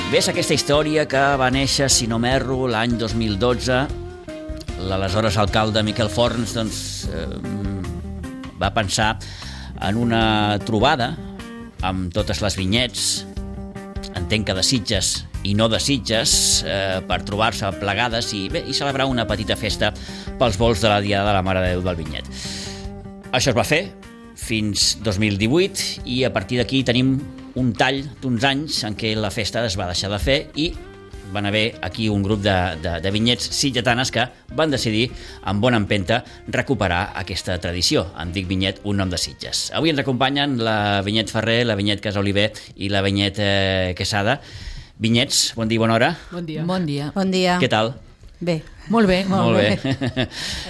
Ves aquesta història que va néixer, si no m'erro, l'any 2012. L'aleshores alcalde Miquel Forns va pensar en una trobada amb totes les vinyets, entenc que de Sitges i no de Sitges, per trobar-se plegades i celebrar una petita festa pels volts de la Diada de la Mare de Déu del Vinyet. Això es va fer fins 2018 i a partir d'aquí tenim un tall d'uns anys en què la festa es va deixar de fer i van haver aquí un grup de vinyets sitgetanes que van decidir, amb bona empenta, recuperar aquesta tradició. Em dic Vinyet, un nom de Sitges. Avui ens acompanyen la Vinyet Ferrer, la Vinyet Casoliver i la Vinyet Quesada. Vinyets, bon dia i bona hora. Bon dia. Bon dia. Bon dia. Què tal? Bé. Molt bé. Molt bé.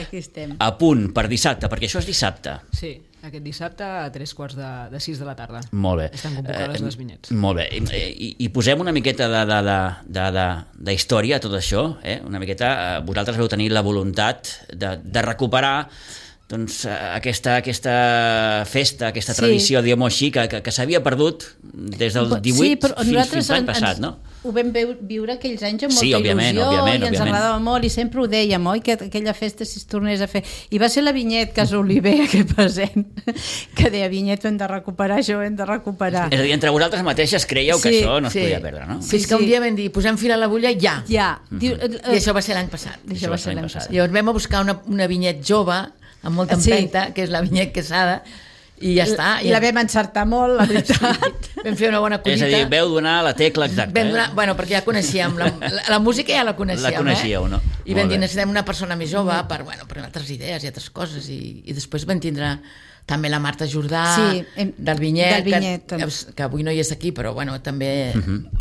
Aquí estem. A punt, per dissabte, perquè això és dissabte. Sí, aquest dissabte a 3:45 de la tarda. Molt bé. Estan convocades les vinyets. Molt bé. I posem una miqueta d'història a tot això. Una miqueta, vosaltres vau tenir la voluntat de recuperar doncs, aquesta festa, aquesta tradició, diguem-ho així, que s'havia perdut des del 18 fins l'any passat, no? Ho vam viure aquells anys amb Sí, molta òbviament, il·lusió òbviament, i ens òbviament. agradava molt i sempre ho dèiem, oi? Que aquella festa si es tornés a fer. I va ser la Vinyet Casoliver que present, que deia Vinyet, ho hem de recuperar, això ho hem de recuperar. És a dir, entre vosaltres mateixes creieu que Sí, això no es sí. podia perdre, no? Sí, és que un dia vam dir, posem fil a l'agulla ja. Ja. I això va ser l'any passat. Això va ser l'any passat. Llavors vam a buscar una vinyet jove, amb molta empenta, que és la Vinyet Quesada, i ja està. I la vam encertar molt, la veritat. Vam fer una bona collita. És a dir, veu donar la tecla exacta. Vam donar, bueno, perquè ja coneixíem, la música ja la coneixíem. La coneixíeu, no? I vam dir, necessitem una persona més jove per altres idees i altres coses. I després vam tindre també la Marta Jordà, del Vinyet, que avui no hi és aquí, però bueno, també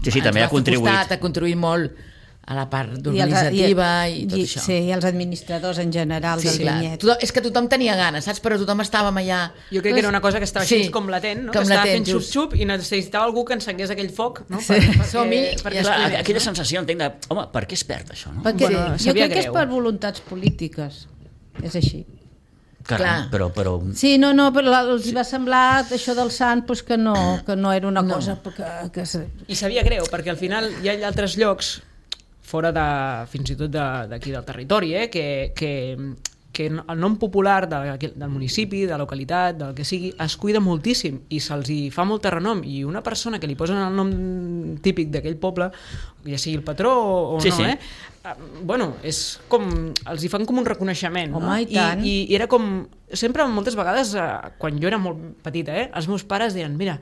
Sí, també ha contribuït. Ha contribuït molt a la part organitzativa i tot això. Sí, i els administradors en general del Vinyet. És que tothom tenia ganes, saps? Però tothom estàvem allà... Jo crec que era una cosa que estava així com latent, no? Que estava fent xup-xup i necessitava algú que encengués aquell foc, no? Aquella sensació, entenc, de, home, per què es perd això, no? Perquè jo crec que és per voluntats polítiques. És així. Caram, però... Sí, no, però els va semblar això del sant que no era una cosa que... I sabia greu, perquè al final hi ha altres llocs fora fins i tot d'aquí del territori, que el nom popular del municipi, de la localitat, del que sigui, es cuida moltíssim i se'ls hi fa molt renom, i una persona que li posen el nom típic d'aquell poble, ja sigui el patró o no, bueno, és com els hi fan com un reconeixement, no? Home, i tant. I era com, sempre moltes vegades quan jo era molt petita, els meus pares deien, mira,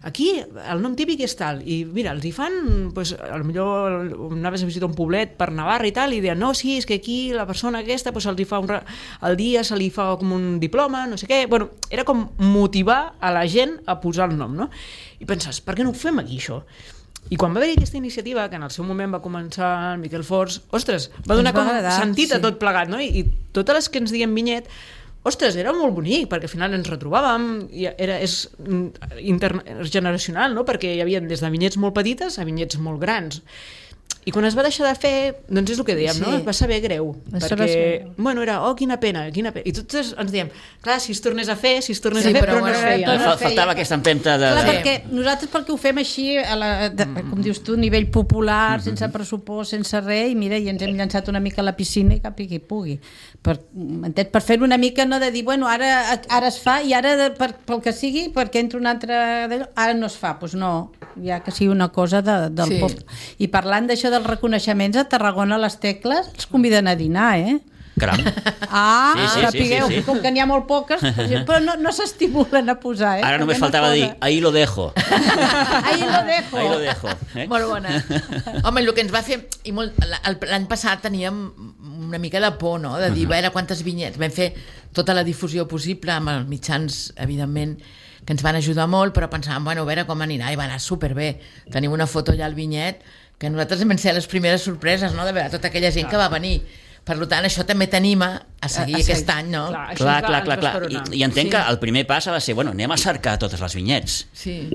aquí el nom típic és tal, i mira, els hi fan, potser anaves a visitar un poblet per Navarra i tal, i deien, no, sí, és que aquí la persona aquesta se'ls hi fa al dia se li fa com un diploma, no sé què, bueno, era com motivar a la gent a posar el nom, no? I penses, per què no ho fem aquí, això? I quan va haver aquesta iniciativa, que en el seu moment va començar el Miquel Forns, ostres, va donar com sentit a tot plegat, no? I totes les que ens diem Vinyet, ostres, era molt bonic, perquè al final ens retrobàvem, és intergeneracional, no? Perquè hi havia des de vinyets molt petites a vinyets molt grans. I quan es va deixar de fer, doncs és el que dèiem, no? Es va saber greu, perquè, bueno, era, quina pena, i tots ens diem, clar, si es tornés a fer, però no es feia. Faltava aquesta empenta de... Clar, perquè nosaltres ho fem així, com dius tu, a nivell popular, sense pressupost, sense res, i mira, i ens hem llançat una mica a la piscina i cap i qui pugui. Per fer-ho una mica, no de dir, bueno, ara es fa, i ara, pel que sigui, perquè entra un altre d'allò, ara no es fa, doncs no, ja que sigui una cosa del poble. I parlant d'això dels reconeixements, a Tarragona les tecles els conviden a dinar, Caram. Sapigueu, com que n'hi ha molt poques, però no s'estimulen a posar, Ara només faltava dir, ahí lo dejo. Ahí lo dejo. Ahí lo dejo. Molt bona. Home, el que ens va fer, l'any passat teníem una mica de por, no?, de dir, a veure quantes vinyets. Vam fer tota la difusió possible amb els mitjans, evidentment, que ens van ajudar molt, però pensàvem, bueno, a veure com anirà, i va anar superbé. Tenim una foto allà al Vinyet, que nosaltres vam ser les primeres sorpreses, no?, de veure tota aquella gent que va venir. Per tant, això també t'anima a seguir aquest any, no? Clar. I entenc que el primer pas ha de ser, bueno, anem a cercar totes les vinyets. Sí.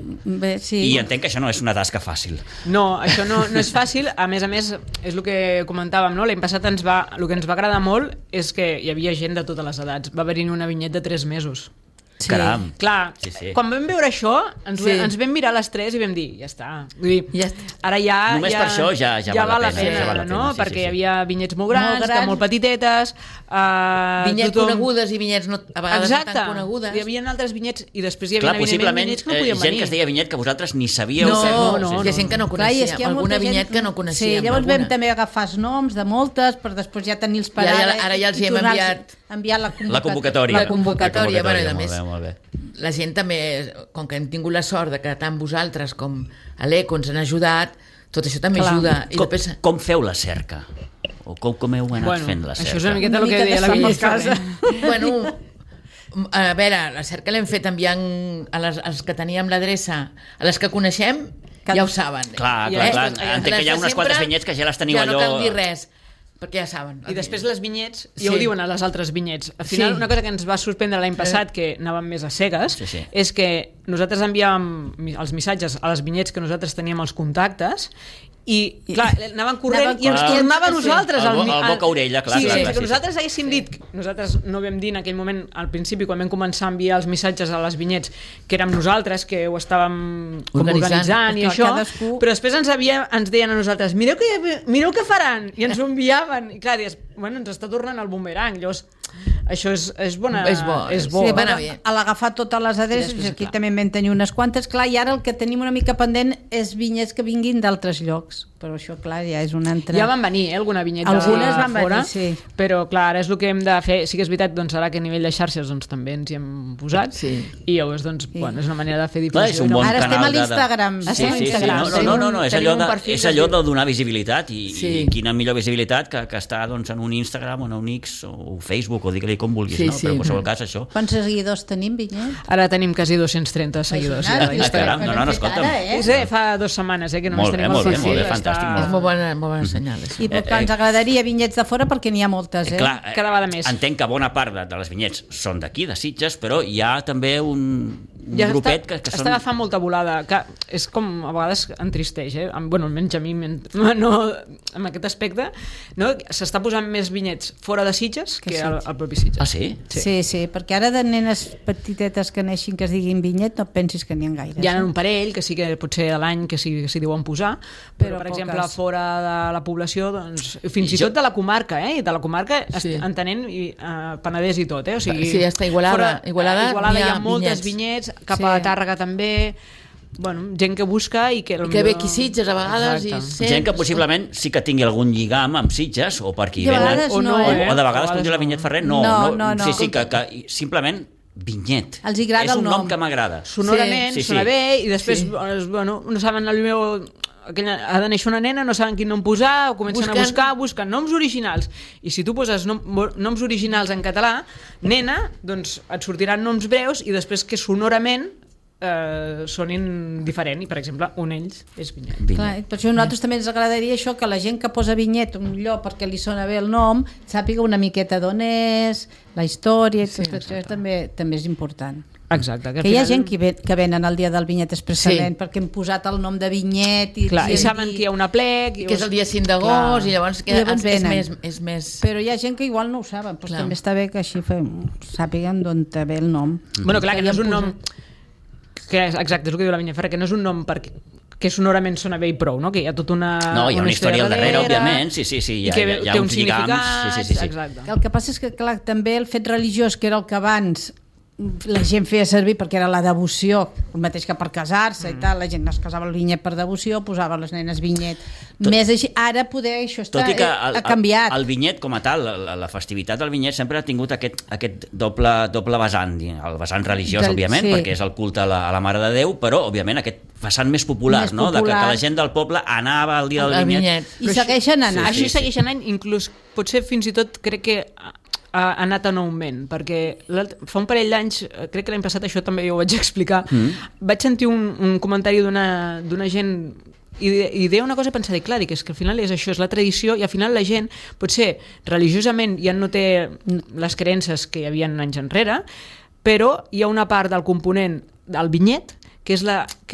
I entenc que això no és una tasca fàcil. No, això no és fàcil. A més, és el que comentàvem, no? L'any passat el que ens va agradar molt és que hi havia gent de totes les edats. Va haver-hi una vinyet de 3 mesos. Sí. Caram. Clar, Sí. quan vam veure això, ens vam mirar les tres i vam dir, ja està. Vull dir, Ja està. ara ja... Només per això ja val la pena, ja val la no? pena, sí, Perquè sí. hi havia vinyets molt grans, Molt grans. molt petitetes... Vinyets conegudes i vinyets a vegades Exacte. no tan conegudes. Hi havia altres vinyets i després hi havia, Clar, possiblement vinyets que no podien gent venir. que es deia vinyet que vosaltres ni sabíeu. No, hi ha gent que no Clar, i és coneixia, que hi ha alguna molta gent- vinyet que no coneixíem. Sí, llavors vam alguna. també agafar els noms de moltes per després ja tenir els I paràmetres. ara ja els hi hem enviat La convocatòria. La convocatòria, bueno, i a més, molt bé. la gent també, com que hem tingut la sort de que tant vosaltres com a l'ECO ens han ajudat, tot això també Clar. ajuda. I Com, després, com feu la cerca? O com heu anat fent la cerca? Això és una miqueta Una el que mica deia la de Vinyet sort al Carrer. bueno, a veure, la cerca l'hem fet enviant als que teníem l'adreça, a les que coneixem, ja ho saben. Clar, I clar. després, Entenc que hi ha unes quantes vinyets que ja les teniu ja allò... no cal dir res, perquè ja saben. I després les vinyets, Sí. ja ho diuen a les altres vinyets. Al final, Sí. una cosa que ens va sorprendre l'any passat, que anàvem més a cegues, Sí. és que nosaltres enviàvem els missatges a les vinyets que nosaltres teníem els contactes i, clar, anaven corrent i ens corrent. tornava a Sí. nosaltres. El boca a orella, clar, Sí, clar, sí, clar, que sí, nosaltres haguéssim dit, nosaltres no vam dir en aquell moment, al principi, quan vam començar a enviar els missatges a les vinyets, que érem nosaltres, que ho estàvem com organitzant i Clar, això, cadascú- però després ens deien a nosaltres, mireu què faran, i ens ho enviaven, i clar, dius, bueno, ens està tornant el bumerang, llavors això és bona... És bo, és bo. sí, Va anar anar bé. a l'agafar totes les adreces, I després, aquí clar. també en vam tenir unes quantes, clar, i ara el que tenim una mica pendent és vinyets que vinguin d'altres llocs, però això, clar, ja és una altra... Ja van venir, alguna vinyeta Algunes van fora, venir, sí. però clar, ara és el que hem de fer. Sí que és veritat, doncs ara que a nivell de xarxes doncs, també ens hi hem posat, Sí. i llavors, doncs, bueno, és una manera de fer Clar, difusió. és un bon Ara estem canal a l'Instagram. Sí, Estem a sí, sí. Instagram. No, és Tenim allò, un perfil és que allò es diu- de donar visibilitat i Sí. quina millor visibilitat que estar doncs, en un Instagram o en un X o Facebook o digue-li com vulguis, Sí, no? sí. Però en qualsevol cas això... Quants seguidors tenim, Vinyet? Ara tenim quasi 230 seguidors. ja, Imagina't, d'Instagram. caram, no, escolta'm. Sí, fa 2 setmanes, que només Molt bé, tenim molt el bé, perfil. molt bé, està- fantàstic, És molt bona senyal. Això. I perquè ens agradaria vinyets de fora perquè n'hi ha moltes, Clar, cada vegada més. entenc que bona part de les vinyets són d'aquí, de Sitges, però hi ha també un Ja grupet que està són... agafant molta volada, que és com a vegades entristeix, bueno, almenys a mi no, en aquest aspecte, no? S'està posant més vinyets fora de Sitges que al propi Sitges. Ah, sí? Sí, perquè ara de nenes petitetes que neixin que es diguin vinyet no pensis que n'hi ha gaires. Hi ha un parell que sí que potser a l'any que s'hi diuen posar, però per poques. exemple fora de la població, doncs, fins i tot de la comarca, i de la comarca Sí. entenent Penedès i tot, o sigui, Sí, està Igualada. Igualada hi ha n'hi ha moltes vinyets. vinyets, cap Sí. a Tàrrega també, bueno, gent que busca i que... I que ve aquí Sitges a vegades i Exacte. Gent que possiblement sí que tingui algun lligam amb Sitges o per aquí I a venen... vegades o no, no, eh? O de vegades, A com diu la vegades Vinyet no. Ferrer, No. Sí, que simplement vinyet. Els agrada és un el nom nom. que m'agrada. Sonorament, Sí. sona bé, i després, Sí. bueno, no saben el meu... Ha de néixer una nena, no saben quin nom posar, o comencen a buscar noms originals. I si tu poses noms originals en català, nena, doncs et sortiran noms breus i després que sonorament sonin diferent. I, per exemple, un ells és vinyet. Clar, per això a nosaltres també ens agradaria això, que la gent que posa vinyet un lloc perquè li sona bé el nom sàpiga una miqueta d'on és, la història, Sí, això també és important. Exacte. Que hi ha gent que venen al dia del vinyet expressament perquè hem posat el nom de vinyet i Clar, i saben que hi ha un aplec... que és el dia 5 d'agost i llavors, I llavors venen. és més... Però hi ha gent que igual no ho saben, doncs Clar. també està bé que així sàpiguen d'on te ve el nom. Bueno, clar, que no és un hi nom... hem Exacte, és el que diu la Vinyet Ferrer, que no és un nom que sonorament sona bé i prou, no? Que hi ha tota una... No, hi ha una història al darrere, òbviament, sí, I que hi ha té uns un lligams, significat, sí. exacte. El que passa és que, clar, també el fet religiós, que era el que abans la gent feia servir perquè era la devoció, el mateix que per casar-se i tal, la gent es casava el vinyet per devoció, posava les nenes vinyet. Més així, ara poder això Tot i que ha canviat. el vinyet com a tal, la festivitat del vinyet sempre ha tingut aquest doble vessant, el vessant religiós, òbviament, sí. perquè és el culte a la Mare de Déu, però, òbviament, aquest vessant més popular, Més no? popular. Que la gent del poble anava al dia del El vinyet. vinyet. I segueixen anant. Així segueix anant, inclús potser fins i tot crec que ha anat en augment, perquè fa un parell d'anys, crec que l'any passat això també jo ho vaig explicar, vaig sentir un comentari d'una gent i deia una cosa i pensar, clar, és que al final és això, és la tradició, i al final la gent potser religiosament ja no té les creences que hi havia anys enrere, però hi ha una part del component del vinyet que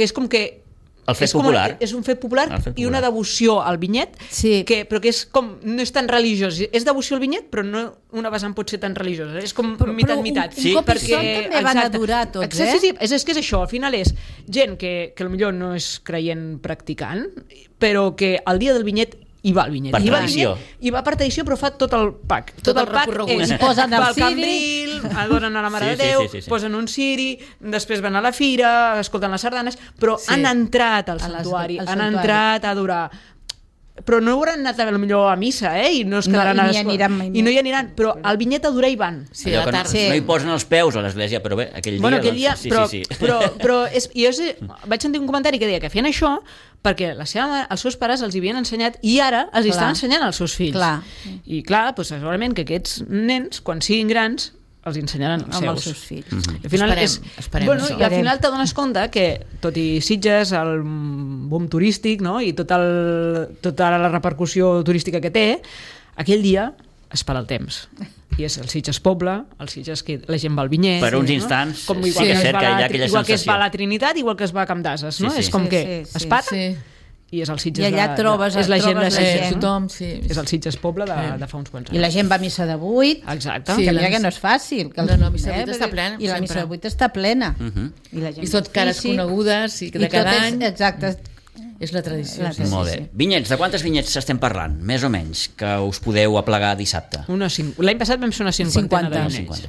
és com que El fet popular. És un fet popular i una devoció al vinyet, però que és com, no és tan religiós. És devoció al vinyet, però no una vessant pot ser tan religiosa. És com mitat-mitat. Un cop perquè també van adorar tots, Sí, és que és això. Al final és gent que potser no és creient practicant, però que el dia del vinyet hi va el vinyet. Per tradició. I va per tradició, però fa tot el pack. Tot el recorregut. És, posen el ciri, Cambril, adoren a la Mare de Déu, posen un ciri, després van a la fira, escolten les sardanes, però han entrat al santuari, han entrat a adorar. Però no hauran anat potser a missa, i no es quedaran i no hi aniran, però al vinyet a adorar hi van. Sí, a la tarda. No hi posen els peus a l'església, però bé, aquell dia... Però jo vaig sentir un comentari que deia que feien això perquè els seus pares els havien ensenyat i ara els estan ensenyant als seus fills. I clar, segurament que aquests nens, quan siguin grans, els ensenyaran als seus fills. Al final esperem això. I al final t'adones compte que, tot i Sitges, el boom turístic, i tota la repercussió turística que té, aquell dia es para el temps. I és el Sitges poble, el Sitges que la gent va al vinyet. Per uns instants, sí que és cert que hi ha aquella sensació. Igual que es va a la Trinitat, igual que es va a Camp d'Ases, no? És com que es para i és el Sitges... I allà trobes és la gent de tothom, és el Sitges poble de fa uns quants anys. I la gent va a missa de 8. Exacte. Que mira que no és fàcil. No, missa de 8 està plena. I la missa de 8 està plena. I tot cares conegudes i de cada any. Exacte. És la tradició. Molt bé. Vinyets, de quantes vinyets estem parlant? Més o menys, que us podeu aplegar dissabte? L'any passat vam ser una 50 de vinyets.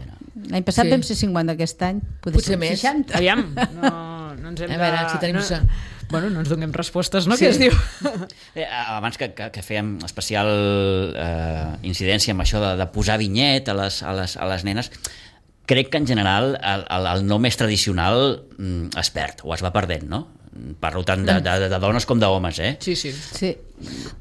L'any passat vam ser 50, aquest any potser més. 60. Aviam, no ens hem de... A veure, si tenim... Bueno, no ens donem respostes, no? Què es diu? Abans que fèiem especial incidència amb això de posar vinyet a les nenes, crec que en general el no més tradicional es perd o es va perdent, no? Parlo tant de dones com d'homes, Sí.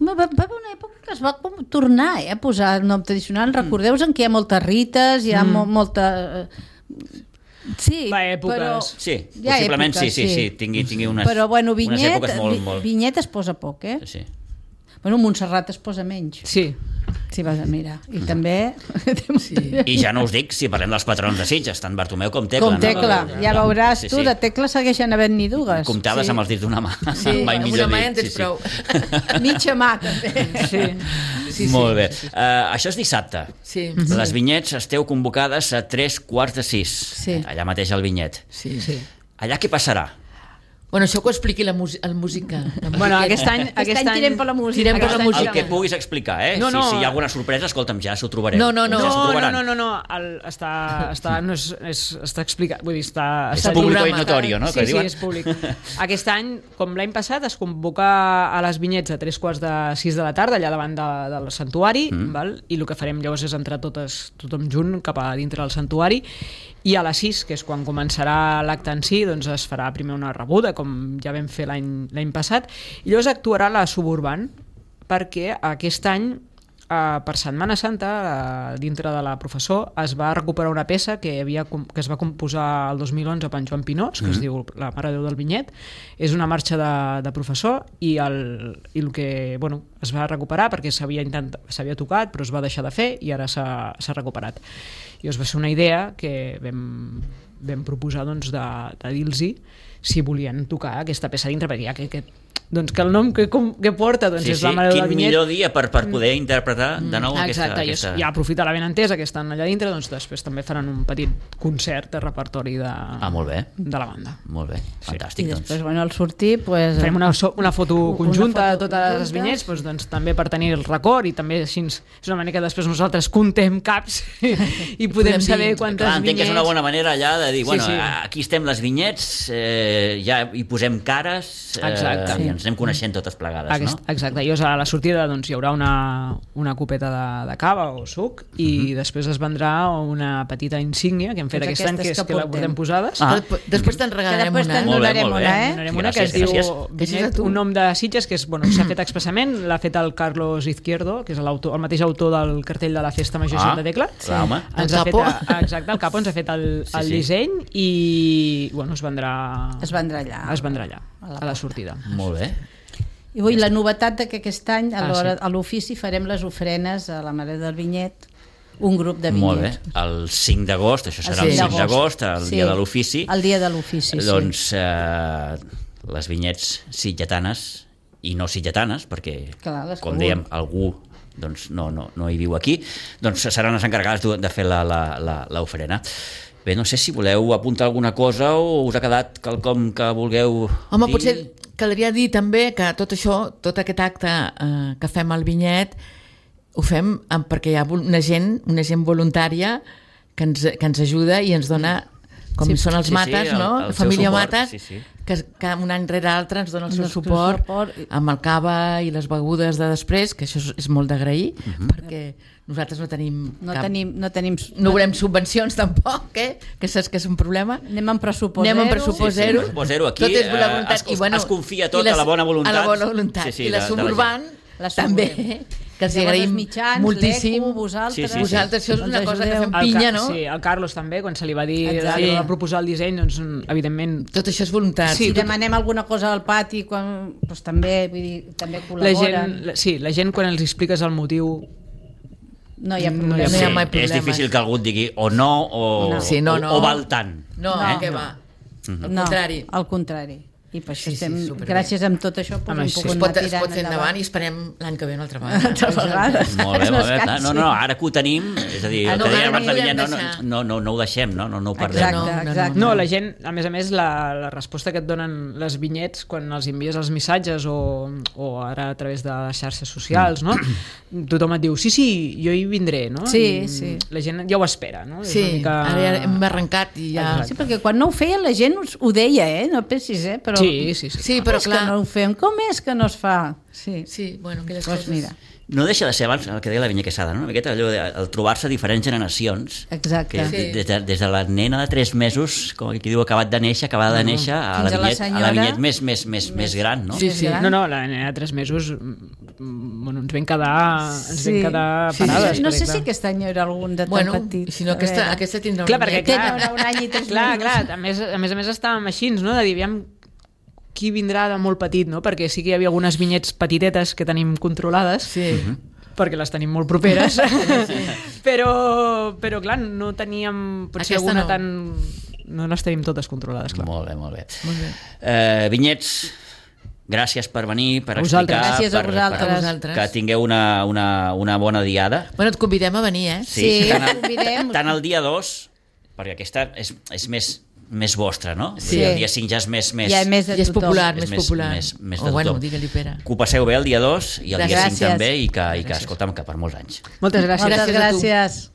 Va haver una època que es va tornar a posar el nom tradicional. Recordeu en què hi ha moltes rites, hi ha molta... Sí, però... Sí, possiblement sí, tingui unes, però bueno, unes èpoques molt... Vinyet es posa poc, Sí. Bueno, Montserrat es posa menys. Sí. Si vas a mirar. I també... I ja no us dic si parlem dels patrons de Sitges, tant Bartomeu com Tecla. Com Tecla, ja veuràs tu, de Tecla segueixen havent-n'hi dues. Comptades amb els dits d'una mà. Sí, amb una mà en tens prou. Mitja mà, també. Sí. Molt bé. Això és dissabte. Sí. Les vinyets esteu convocades a 3:45. Sí. Allà mateix al vinyet. Sí. Allà què passarà? Bueno, això que ho expliqui el música. Bueno, aquest any tirem per la música. El que puguis explicar, No. Si hi ha alguna sorpresa, escolta'm, ja s'ho trobarem. No. No. Està explicat. Vull dir, és públic i notori, no? Sí, és públic. Aquest any, com l'any passat, es convoca a les vinyets a 5:45 de la tarda, allà davant del santuari, val? I el que farem llavors és entrar tothom junt cap a dintre del santuari, i a les 6, que és quan començarà l'acte en si, doncs es farà primer una rebuda, com ja vam fer l'any passat, i llavors actuarà la Suburban, perquè aquest any, per Setmana Santa, dintre de la Professor, es va recuperar una peça que es va composar el 2011 per en Joan Pinós, que es diu La Mare de Déu del Vinyet. És una marxa de Professor, i el que es va recuperar perquè s'havia tocat, però es va deixar de fer i ara s'ha recuperat. I va ser una idea que vam proposar de dir-los si volien tocar aquesta peça dintre, perquè ja que el nom que porta és La Mare del Vinyet. Quin millor dia per poder interpretar de nou aquesta... Exacte, ja aprofita la benentesa que estan allà dintre, doncs després també faran un petit concert de repertori de la banda. Molt bé, fantàstic. I després, al sortir... Farem una foto conjunta de totes les vinyets, doncs també per tenir el record, i també així és una manera que després nosaltres contem caps i podem saber quantes vinyets... Entenc que és una bona manera allà de dir, aquí estem les vinyets, ja hi posem cares... Exacte. Ens anem coneixent totes plegades, no? Exacte, i a la sortida hi haurà una copeta de cava o suc, i després es vendrà una petita insígnia que hem fet aquest any, que és que la portem posades. Després te'n regalarem una. Donarem una que es diu un nom de Sitges, que s'ha fet expressament, l'ha fet el Carlos Izquierdo, que és el mateix autor del cartell de la Festa Major Santa Tecla. El Capo. Exacte, el Capo ens ha fet el disseny, i es vendrà allà a la sortida. Molt bé. I la novetat que aquest any a l'ofici farem les ofrenes a la Mare del Vinyet, un grup de vinyets. Molt bé, el 5 d'agost, això serà el 5 d'agost, el dia de l'ofici. El dia de l'ofici, sí. Doncs les vinyets sitgetanes i no sitgetanes, perquè, Clar, com dèiem, algú doncs, no hi viu aquí, doncs seran les encarregades de fer l'ofrena. Bé, no sé si voleu apuntar alguna cosa o us ha quedat quelcom que vulgueu Home, dir. potser caldria dir també que tot això, tot aquest acte que fem al Vinyet, ho fem perquè hi ha una gent voluntària que ens ajuda i ens dona, com són els Mates, no? el Família seu suport, Mates, que un any rere l'altre ens dona el seu El seu suport suport. amb el cava i les begudes de després, que això és molt d'agrair, perquè nosaltres no tenim no volem subvencions tampoc, que saps que és un problema. Anem amb pressupost Anem amb zero. pressupost zero. Pressupost zero. Aquí Tot és bona voluntat. es confia tot a la bona voluntat. A la bona voluntat. Sí, I la de la Suburban La també, Suburban. que els Llavors, agraïm els mitjans, moltíssim. l'ECO, vosaltres. Sí. Vosaltres, això és Ens una cosa que ajudeu. fem pinya, no? Sí, el Carlos també, quan se li va dir Exacte. va proposar el disseny, doncs evidentment Tot això és voluntat. Sí, Si demanem alguna cosa al pati, doncs també, vull dir, també col·laboren. la gent quan els expliques el motiu No hi ha No problema. hi ha mai és problemes. difícil que algú et digui o no o, Sí, no. o val tant. No, No. què va? Al No, contrari. al contrari. I per això Sí, estem, superbé. gràcies a tot això, Home, hem sí. pogut Es pot anar tirant fer endavant i esperem l'any que ve una altra vegada. Altres vegades. Molt bé, No molt bé. es Clar, cansi. no, ara que ho tenim, és a dir, el No, que deia ara abans no de ho Vinyet, podem deixar. no ho deixem, no ho perdem. Exacte, No, exacte. No, la gent, a més, la resposta que et donen les vinyets quan els envies els missatges o ara a través de les xarxes socials, no? Tothom et diu, sí, jo hi vindré, no? Sí, I sí. La gent ja ho espera, no? És Sí, una mica... ara ja hem arrencat i ja... Sí, perquè quan no ho feien la gent ho deia, no pensis, però... Sí. Sí, Com però és que clar... no ho fem? Com és que no es fa? Sí, Sí, bueno, aquelles doncs coses... mira. No deixa de ser abans el que deia la Vinya Quesada, no? Una miqueta allò de el trobar-se diferents generacions. Exacte. Que Sí. des de la nena de 3 mesos, com aquí diu, acabada de néixer, a la Fins a la senyora. vinyet més gran, no? Sí, sí. No, la nena de 3 mesos bueno, ens vam quedar Sí, parades. No perquè, sé clar. si aquest any hi haurà algun de tan Bueno, petit. si no, A veure. aquesta tindrà Clar, un perquè vinyet. clar, Hi haurà un any i 3 clar, mesos. a més estàvem així, no? De dir, aviam qui vindrà de molt petit, no? Perquè sí que hi havia algunes vinyets petitetes que tenim controlades, Sí. perquè les tenim molt properes, però clar, no teníem potser Aquesta alguna no. tan... No les tenim totes controlades, clar. Molt bé, molt bé. Molt bé. Vinyets, gràcies per venir, per A vosaltres. explicar, Gràcies a per vosaltres. que tingueu una bona diada. Bueno, et convidem a venir, eh? Sí, tant, convidem. tant el dia 2, perquè aquesta és més vostra, no? Sí. El dia 5 ja és més Ja és Ja és tothom. popular, És més popular. més O de bueno, tothom. digue-li, Pere. Que ho passeu bé el dia 2 i el dia 5 Gràcies. també i que escolta'm, que per molts anys. Moltes gràcies. Moltes Gràcies a tu. gràcies.